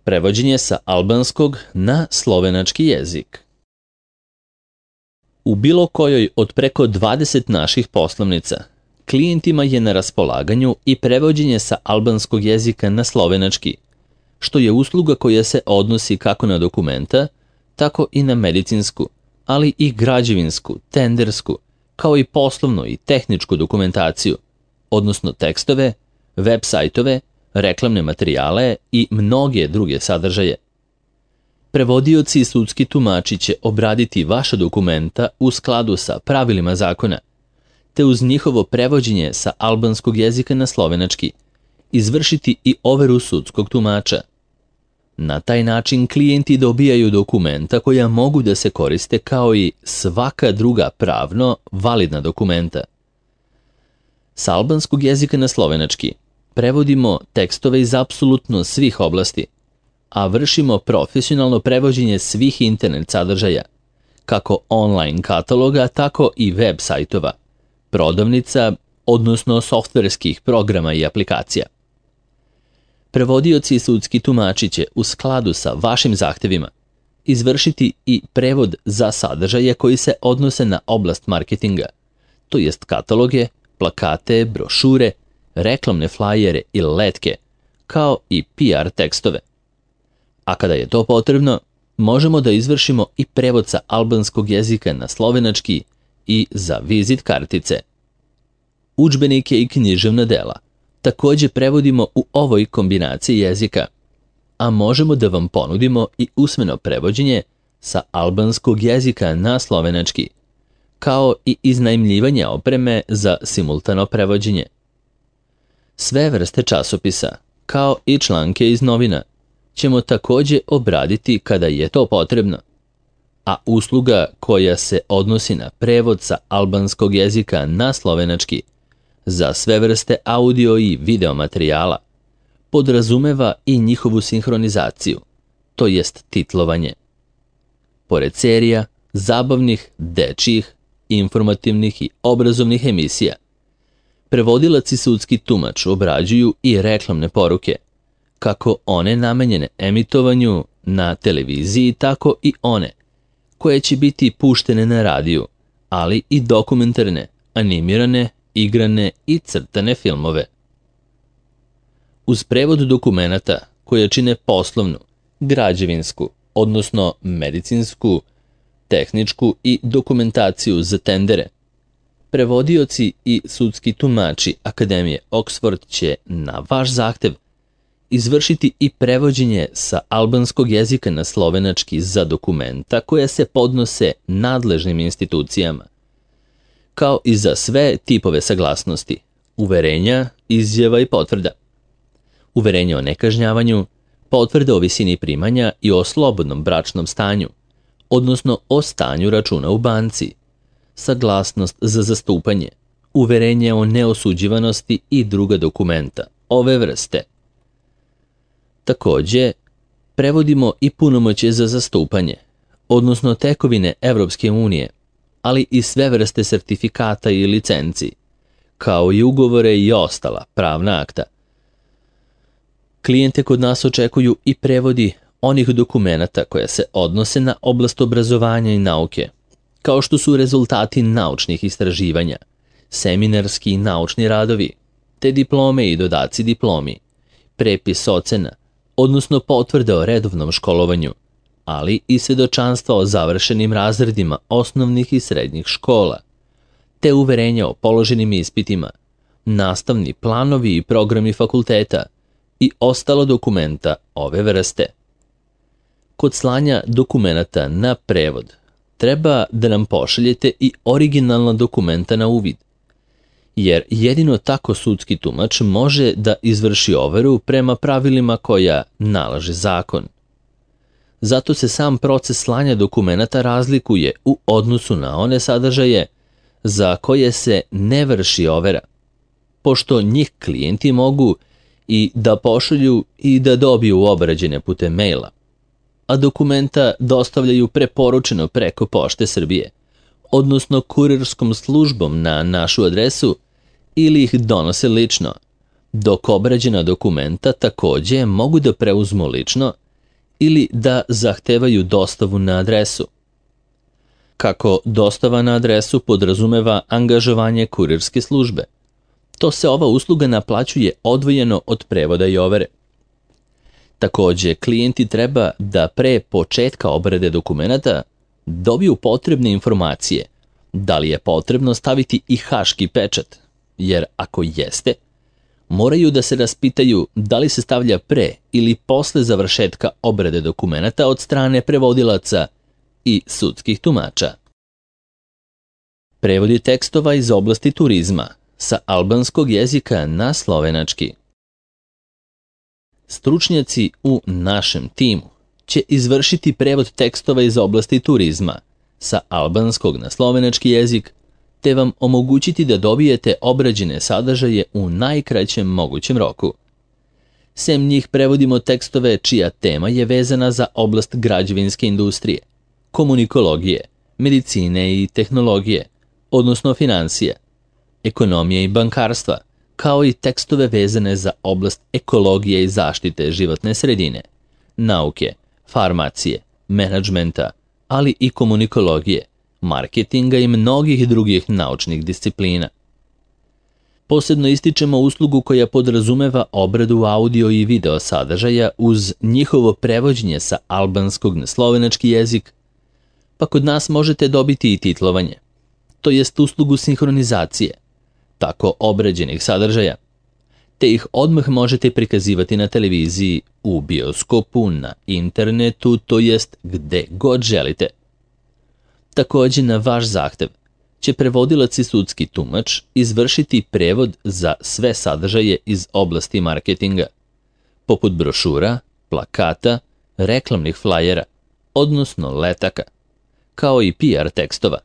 Prevođenje sa albanskog na slovenački jezik. U bilo kojoj od preko 20 naših poslovnica, klijentima je na raspolaganju i prevođenje sa albanskog jezika na slovenački, što je usluga koja se odnosi kako na dokumenta, tako i na medicinsku, ali i građevinsku, tendersku, kao i poslovnu i tehničku dokumentaciju, odnosno tekstove, web sajtove, reklamne materijale i mnoge druge sadržaje. Prevodioci i sudski tumači će obraditi vaša dokumenta u skladu sa pravilima zakona, te uz njihovo prevođenje sa albanskog jezika na slovenački izvršiti i overu sudskog tumača. Na taj način klijenti dobijaju dokumenta koja mogu da se koriste kao i svaka druga pravno validna dokumenta. Sa albanskog jezika na slovenački prevodimo tekstove iz apsolutno svih oblasti, a vršimo profesionalno prevođenje svih internet sadržaja, kako online kataloga, tako i web sajtova, prodavnica, odnosno softverskih programa i aplikacija. Prevodioci i sudski tumači će u skladu sa vašim zahtevima izvršiti i prevod za sadržaje koji se odnose na oblast marketinga, to jest kataloge, plakate, brošure, reklamne flajere i letke, kao i PR tekstove. A kada je to potrebno, možemo da izvršimo i prevod sa albanskog jezika na slovenački i za vizit kartice. Udžbenike i književna dela također prevodimo u ovoj kombinaciji jezika, a možemo da vam ponudimo i usmeno prevođenje sa albanskog jezika na slovenački, kao i iznajmljivanje opreme za simultano prevođenje. Sve vrste časopisa, kao i članke iz novina, ćemo također obraditi kada je to potrebno, a usluga koja se odnosi na prevod sa albanskog jezika na slovenački za sve vrste audio i video materijala podrazumeva i njihovu sinhronizaciju, to jest titlovanje. Pored serija, zabavnih, dečjih, informativnih i obrazovnih emisija, prevodilac i sudski tumač obrađuju i reklamne poruke, kako one namenjene emitovanju na televiziji, tako i one koje će biti puštene na radiju, ali i dokumentarne, animirane, igrane i crtane filmove. Uz prevod dokumenata koje čine poslovnu, građevinsku, odnosno medicinsku, tehničku i dokumentaciju za tendere, prevodioci i sudski tumači Akademije Oxford će na vaš zahtev izvršiti i prevođenje sa albanskog jezika na slovenački za dokumenta koje se podnose nadležnim institucijama, kao i za sve tipove saglasnosti, uverenja, izjava i potvrda. Uverenje o nekažnjavanju, potvrda o visini primanja i o slobodnom bračnom stanju, odnosno o stanju računa u banci, saglasnost za zastupanje, uverenje o neosuđivanosti i druga dokumenta ove vrste. Također, prevodimo i punomoćje za zastupanje, odnosno tekovine Evropske unije, ali i sve vrste sertifikata i licenci, kao i ugovore i ostala pravna akta. Klijente kod nas očekuju i prevodi onih dokumenata koje se odnose na oblast obrazovanja i nauke, kao što su rezultati naučnih istraživanja, seminarski i naučni radovi, te diplome i dodaci diplomi, prepis ocena, odnosno potvrde o redovnom školovanju, ali i svedočanstva o završenim razredima osnovnih i srednjih škola, te uverenja o položenim ispitima, nastavni planovi i programi fakulteta i ostalo dokumenta ove vrste. Kod slanja dokumenata na prevod treba da nam pošaljete i originalna dokumenta na uvid, jer jedino tako sudski tumač može da izvrši overu prema pravilima koja nalaže zakon. Zato se sam proces slanja dokumenata razlikuje u odnosu na one sadržaje za koje se ne vrši overa, pošto njih klijenti mogu i da pošalju i da dobiju obrađene putem maila, a dokumenta dostavljaju preporučeno preko Pošte Srbije, odnosno kurirskom službom na našu adresu ili ih donose lično, dok obrađena dokumenta također mogu da preuzmu lično ili da zahtevaju dostavu na adresu. Kako dostava na adresu podrazumeva angažovanje kurirske službe, to se ova usluga naplaćuje odvojeno od prevoda i overe. Takođe, klijenti treba da pre početka obrade dokumenata dobiju potrebne informacije, da li je potrebno staviti i haški pečat, jer ako jeste, moraju da se raspitaju da li se stavlja pre ili posle završetka obrade dokumenata od strane prevodilaca i sudskih tumača. Prevodi tekstova iz oblasti turizma sa albanskog jezika na slovenački. Stručnjaci u našem timu će izvršiti prevod tekstova iz oblasti turizma sa albanskog na slovenački jezik, te vam omogućiti da dobijete obrađene sadržaje u najkraćem mogućem roku. Sem njih prevodimo tekstove čija tema je vezana za oblast građevinske industrije, komunikologije, medicine i tehnologije, odnosno financija, ekonomije i bankarstva, kao i tekstove vezane za oblast ekologije i zaštite životne sredine, nauke, farmacije, menadžmenta, ali i komunikologije, marketinga i mnogih drugih naučnih disciplina. Posebno ističemo uslugu koja podrazumeva obradu audio i video sadržaja uz njihovo prevođenje sa albanskog na slovenački jezik, pa kod nas možete dobiti i titlovanje, to jest uslugu sinhronizacije, tako obrađenih sadržaja, te ih odmah možete prikazivati na televiziji, u bioskopu, na internetu, to jest gde god želite. Takođe, na vaš zahtev će prevodilac i sudski tumač izvršiti prevod za sve sadržaje iz oblasti marketinga, poput brošura, plakata, reklamnih flajera, odnosno letaka, kao i PR tekstova,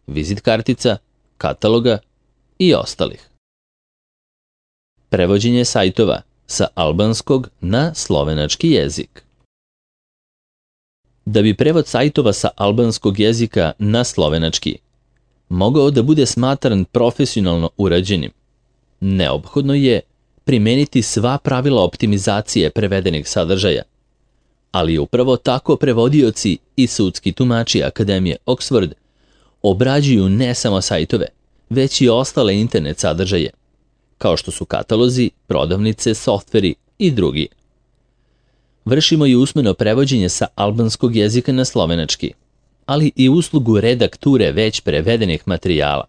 vizit kartica, kataloga i ostalih. Prevođenje sajtova sa albanskog na slovenački jezik. Da bi prevod sajtova sa albanskog jezika na slovenački mogao da bude smatran profesionalno urađenim, neophodno je primeniti sva pravila optimizacije prevedenih sadržaja, ali upravo tako prevodioci i sudski tumači Akademije Oxford obrađuju ne samo sajtove, već i ostale internet sadržaje, kao što su katalozi, prodavnice, softveri i drugi. Vršimo i usmeno prevođenje sa albanskog jezika na slovenački, ali i uslugu redakture već prevedenih materijala.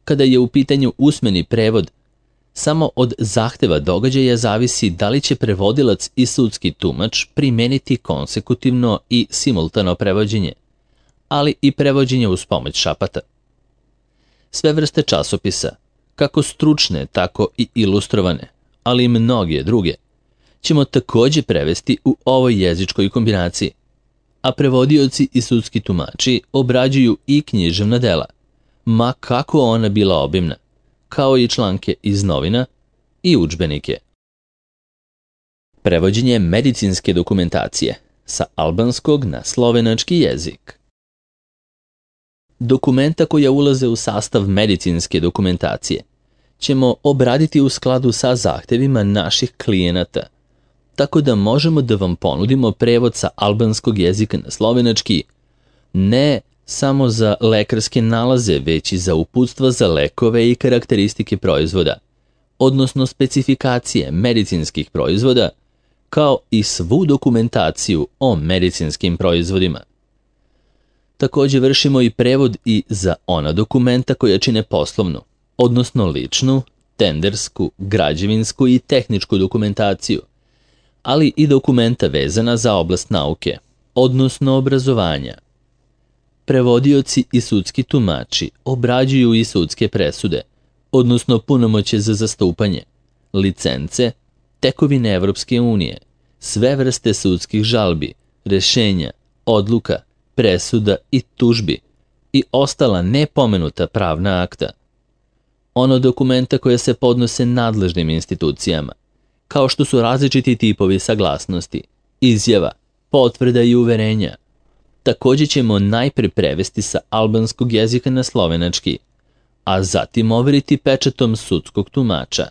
Kada je u pitanju usmeni prevod, samo od zahteva događaja zavisi da li će prevodilac i sudski tumač primeniti konsekutivno i simultano prevođenje, ali i prevođenje uz pomoć šapata. Sve vrste časopisa, kako stručne, tako i ilustrovane, ali i mnoge druge, ćemo takođe prevesti u ovoj jezičkoj kombinaciji, a prevodioci i sudski tumači obrađuju i književna dela, ma kako ona bila obimna, kao i članke iz novina i udžbenike. Prevođenje medicinske dokumentacije sa albanskog na slovenački jezik. Dokumenta koja ulaze u sastav medicinske dokumentacije ćemo obraditi u skladu sa zahtevima naših klijenata, tako da možemo da vam ponudimo prevod sa albanskog jezika na slovenački, ne samo za lekarske nalaze, već i za uputstva za lekove i karakteristike proizvoda, odnosno specifikacije medicinskih proizvoda, kao i svu dokumentaciju o medicinskim proizvodima. Takođe vršimo i prevod i za ona dokumenta koja čine poslovnu, odnosno ličnu, tendersku, građevinsku i tehničku dokumentaciju, ali i dokumenta vezana za oblast nauke, odnosno obrazovanja. Prevodioci i sudski tumači obrađuju i sudske presude, odnosno punomoćje za zastupanje, licence, tekovine Evropske unije, sve vrste sudskih žalbi, rešenja, odluka, presuda i tužbi i ostala nepomenuta pravna akta. Ono dokumenta koje se podnose nadležnim institucijama, kao što su različiti tipovi saglasnosti, izjava, potvrda i uverenja. Takođe ćemo najpre prevesti sa albanskog jezika na slovenački, a zatim overiti pečatom sudskog tumača.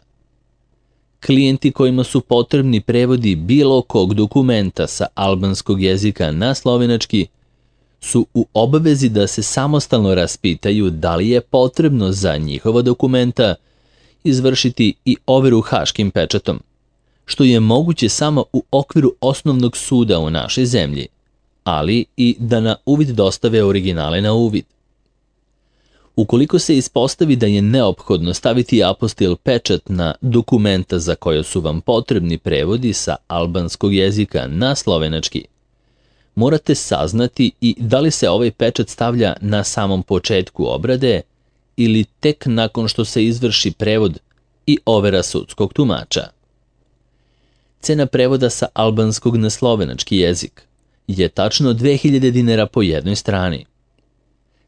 Klijenti kojima su potrebni prevodi bilo kog dokumenta sa albanskog jezika na slovenački su u obavezi da se samostalno raspitaju da li je potrebno za njihova dokumenta izvršiti i overu haškim pečatom, što je moguće samo u okviru osnovnog suda u našoj zemlji, ali i da na uvid dostave originale na uvid. Ukoliko se ispostavi da je neophodno staviti apostil pečat na dokumenta za koje su vam potrebni prevodi sa albanskog jezika na slovenački, morate saznati i da li se ovaj pečat stavlja na samom početku obrade ili tek nakon što se izvrši prevod i overa sudskog tumača. Cena prevoda sa albanskog na slovenački jezik je tačno 2000 dinara po jednoj strani.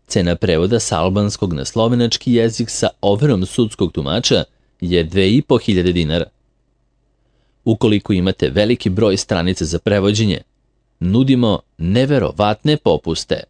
Cena prevoda sa albanskog na slovenački jezik sa overom sudskog tumača je 2500 dinara. Ukoliko imate veliki broj stranica za prevođenje, nudimo neverovatne popuste.